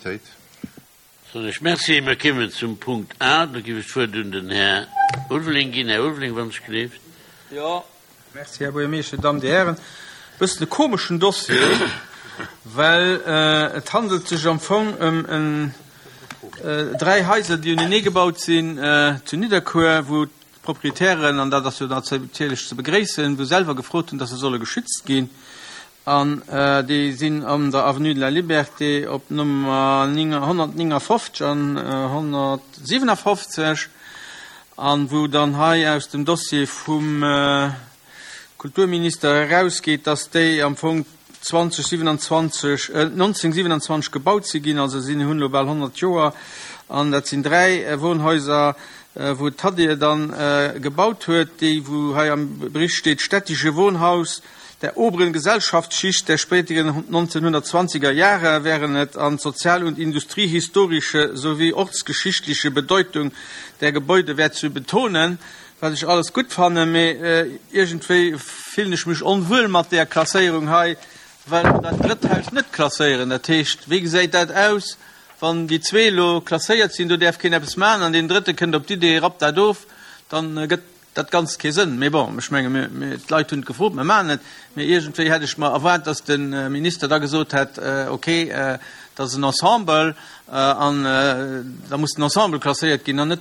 Unanimitéit. Soen ech Merci. Mir kéimen zum Punkt A. Do géif ech d'Wuert un den Här Ulveling ginn. Här Ulveling, wann ech gleeft. Jo, merci, Här Buergermeeschter, Dir Dammen, Dir Hären. E bëssen e komeschen Dossier, well et handelt sech am Fong ëm en 3 Haiser, déi unenee gebaut sinn zu Nidderkuer, wou d'Proprietären, an dat ass jo natierlech ze begréissen, wou selwer gefrot hunn, dass se solle geschützt ginn. An déi sinn an der Avenue de la Liberté op Nummer 159 an 157, an wou dann hei aus dem Dossier vum Kulturminister erausgeet, dass déi am Fong 2027, 1927 gebaut si ginn, also sinn hunn elo bal 100 Joer. An dat sinn 3 Wohnhäuser, wou d'Hadir dann gebaut huet, déi wou hei am Bericht steet, städtische Wohnhaus, Der oberen Gesellschaftsschicht der späteren 1920er Jahre wären et an sozial und industriehistorische sowie ortsgeschichtliche Bedeutung der Gebäude wär zu betonen, wat ech alles gutt fannen, mee iergendwéi fillen ech mech onwuel mat där Klasséierung hei, well mer dat drëtt Haus net klasséieren. Dat heescht, wéi gesäit dat aus, wann déi zwee elo klasséiert sinn, do däerf keen eppes maachen, an deen drëtte kënnt op d'Idee, rappt dat of, dann gëtt Dat Ganzt kee Sënn. Mee bon, ech menge mir, d'Leit hunn et gefrot, mir maachen et. Mee iergendwéi hätt ech mer erwaart, datt de Minister da gesot hätt, okay, dat ass en Ensemble an da muss den Ensemble klasséiert ginn an net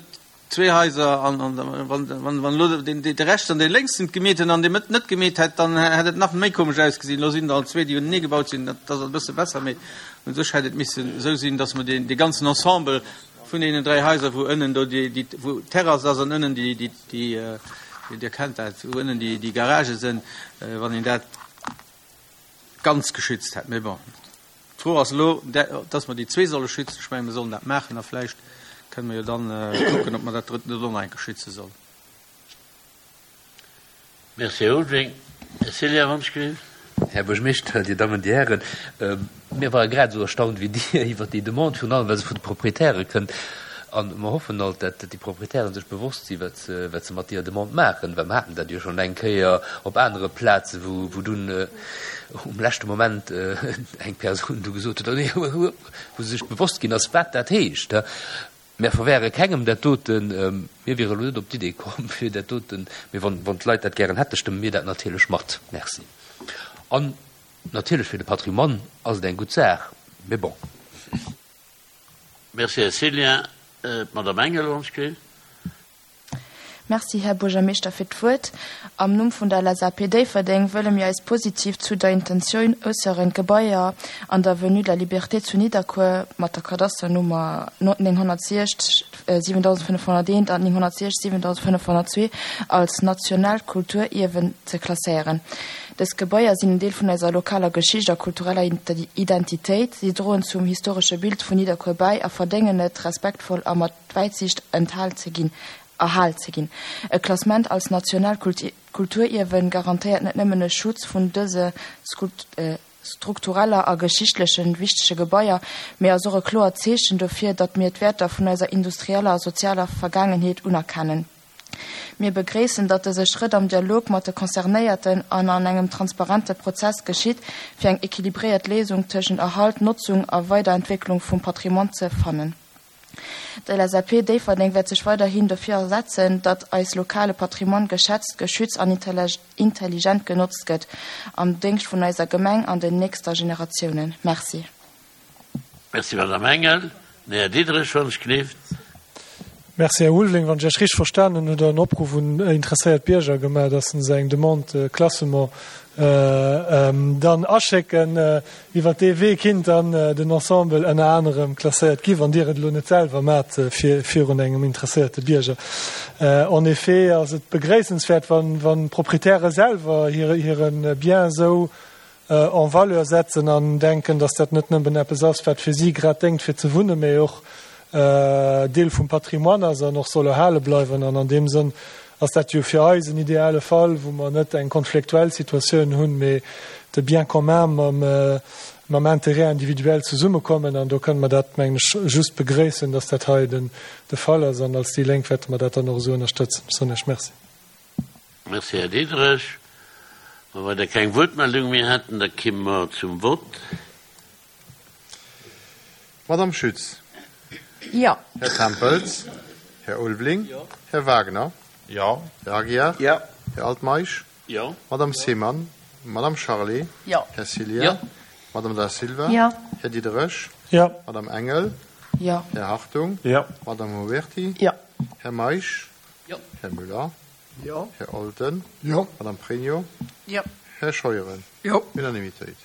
zwee Haiser. An wann elo dee rechts an dee lénks et gemeet hunn an dee Mëtt net gemeet hätt, dann hätt et nach méi komesch ausgesinn. Elo sinn der alt zwee, déi unenee gebaut sinn, dat ass e bësse besser. Mee u sech hätt et missen esou sinn, datt mer dee ganzen Ensemble Vun deenen 3 Haiser, wou ënnen do déi, déi, wou d'Terrass ass an ënnen déi, déi, déi, Dir kennt dat, wou ënnen déi, déi Garagë sinn, wann een dat ganz geschützt hätt. Mee bon, d'Fro ass elo, dass mer déi zwee solle schützen. Ech mengen, mir sollen dat maachen a vläicht kënne mer jo dann kucken, ob mer dat drëtt net och nach eng Kéier schütze sollen. Merci, Här Ulveling. Här Cillien, wann ech gleef. Här Buergermeeschter, Dir Dammen, Dir Hären, mir ware grad esou erstaunt wéi Dir iwwert déi Demande, virun allem well se vun de Proprietäre kënnt. A mer hoffen alt, dat déi Proprietären sech bewosst si wat se, wat se mat deeër Demande maachen, well mer haten dat jo schonn eng Kéier op anere Plaze wou, wou dunn um leschte Moment eng Persoun du gesot huet, oh nee, wou se sech bewosst ginn ass, wat dat heescht. Mär verwäre kengem dat doten. Mir wiere elo net op d'Idee komm, fir dat doten, mee wann, wann d'Leit dat gären hätte, stëmme mir dat natierlech mat. Merci. An natierlech fir de Patrimoine ass et eng gutt Saach, mee bon. Merci, Här Cillien. D'Madame Engel, wann ech gleef. Merci, Här Buergermeeschter, fir d'Wuert. Am Numm vun der LSAP Déifferdeng wëlle mir eis positiv zu der Intentioun äusseren, d'Gebaier an der Avenue de la Liberté zu Nidderkuer mat der Kadasternummer 960 7501 an 960 7502 als nationaalt Kulturierwen ze klasséieren. Dës Gebaier sinn en Deel vun eiser lokaler Geschicht a kultureller Identitéit. Si droen zum historesche Bild vun Nidderkuer bäi a verdéngen et, respektvoll a mat Wäitsiicht enthal ze ginn, erhal ze ginn. E Klassement als nationaalt Kulturierwen garantéiert net nëmmen e Schutz vun dëse struktureller a geschichtleche wichtege Gebaier, mee ass och e kloert Zeechen dofir, datt mir d'Wäerter vun eiser industrieller a sozialer Vergaangenheet unerkennen. Mir begréissen, datt dëse Schrëtt am Dialog mat de Concernéierten an an engem transparente Prozess geschitt, fir eng equilibréiert Léisung tëschent Erhalt, Notzung a Weiderentwécklung vum Patrimoine ze fannen. D'LSAP Déifferdeng wäert sech weiderhin dofir asetzen, datt eis lokale Patrimoine geschätzt, geschützt an intelligent genotzt gëtt, am Déngscht vun eiser Gemeng an den nächster Generatiounen. Merci. Merci, Madame Engel. Den Här Diderich, wann ech gleeft. Merci, Här Ulveling. Wann ech Iech richteg verstanen hunn, hutt Der en Opruff un interesséiert Bierger gemaach, datt se eng Demande de classement dann aschécken. Iwwer dee Wee kinnt dann den Ensemble ënner anerem klasséiert gi, wann Dir et elo net selwer maacht virun engem interesséierte Bierger. En effet ass et begréissenswäert, wann d'Proprietäre selwer hire Bien esou en valeur setzen an denken, datt dat net nëmmen eppes ass, wat fir si grad déngt fir ze wunnen, mee och Deel vum Patrimoine ass an och soll erhale bleiwen. An an deem Sënn ass dat jo fir eis en ideale Fall, wou mer net eng konfliktuell Situatioun hunn, mee de Bien commun mam Intérêt individuel zesummekommen. An do kënne mer dat, mengen ech, just begréissen, dass dat hei de Fall ass. An als déi Lénk wäerte mer dat dann och esou ënnerstëtzen. Ech soen Iech Merci. Merci, Här Diderich. Wa weider keng Wuertmeldung méi hätten, da kimme mer zum Vott. Madame Schütz. Jo. Här Tempels. Här Ulveling. Här Wagner. Jo. Här Aguiar. Jo. Här Altmeisch. Jo. Madame Seemann. Madame Charlé. Jo. Här Cillien. Jo. Madame Da Silva. Jo. Här Diderich. Jo. Madame Engel. Jo. Här Hartung. Jo. Madame Mauberti. Jo. Här Meisch. Jo. Här Müller. Jo. Här Olten. Jo. Madame Pregno. Jo. Här Scheuren. Jo. Unanimitéit.